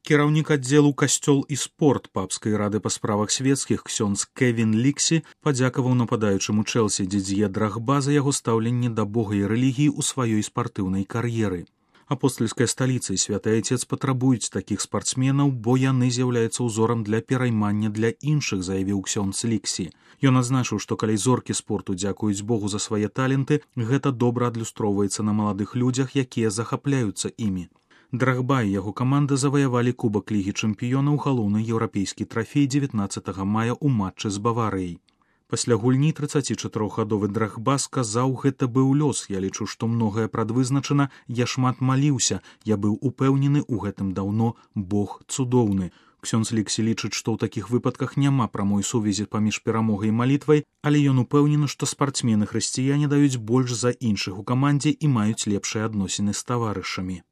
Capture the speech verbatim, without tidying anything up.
Кіраўнік аддзелу касцёл і спорт папскай рады па справах свецкіх ксёндз Кевін Ліксі падзякаваў нападаючаму Чэлсі Дідзье Драгба за яго стаўленне да Бога і рэлігіі ў сваёй спартыўнай кар'еры. Апостальская сталіца і святы айцец патрабуюць такіх спартсменаў, бо яны з'яўляюцца ўзорам для пераймання для іншых, заявіў ксёндз Ліксі. Ён адзначыў, што калі зоркі спорту дзякуюць Богу за свае таленты, гэта добра адлюстроўваецца на маладых людзях, якія захапляюцца імі. Драгба і яго каманда заваявалі кубак Лігі чэмпіёнаў, галоўны еўрапейскі трафей дзевятнаццатага мая ў матчы з Баварыяй. Пасля гульні трыццацічатырохгадовы Драгба сказаў, гэта быў лёс, я лічу, што многае прадвызначана, я шмат маліўся, я быў упэўнены ў гэтым даўно, Бог цудоўны. Ксёндз Ліксі лічыць, што ў такіх выпадках няма прамой сувязі паміж перамогай і малітвай, але ён упэўнены, што спартсмены-хрысціяне даюць больш за іншых у камандзе і маюць лепшыя адносіны з таварышамі.